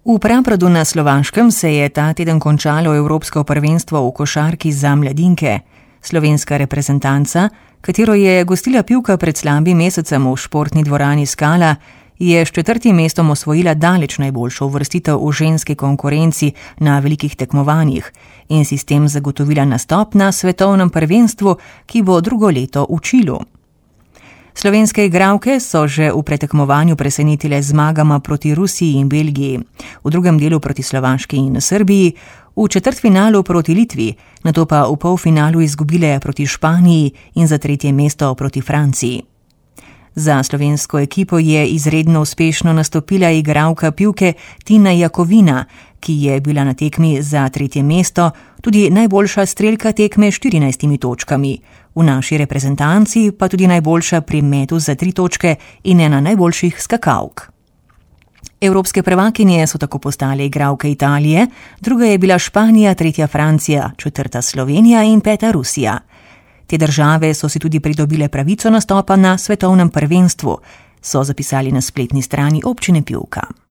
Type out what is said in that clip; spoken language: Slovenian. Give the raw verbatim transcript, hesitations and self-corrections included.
V Prapradu na Slovaškem se je ta teden končalo Evropsko prvenstvo v košarki za mladinke. Slovenska reprezentanca, katero je gostila Pivka pred slabim mesecem v športni dvorani Skala, je s četrtim mestom osvojila daleč najboljšo uvrstitev v ženski konkurenci na velikih tekmovanjih in si s tem zagotovila nastop na svetovnem prvenstvu, ki bo drugo leto v Čilu. Slovenske igralke so že v pretekmovanju presenetile zmagama proti Rusiji in Belgiji, v drugem delu proti Slovaški in Srbiji, v četrtfinalu proti Litvi, nato pa v polfinalu izgubile proti Španiji in za tretje mesto proti Franciji. Za slovensko ekipo je izredno uspešno nastopila igralka Pivke Tina Jakovina, ki je bila na tekmi za tretje mesto tudi najboljša strelka tekme s štirinajstimi točkami, v naši reprezentanci pa tudi najboljša pri metu za tri točke in ena najboljših skakalk. Evropske prvakinje so tako postale igralke Italije, druga je bila Španija, tretja Francija, četrta Slovenija in peta Rusija. Te države so si tudi pridobile pravico nastopa na svetovnem prvenstvu, so zapisali na spletni strani občine Pivka.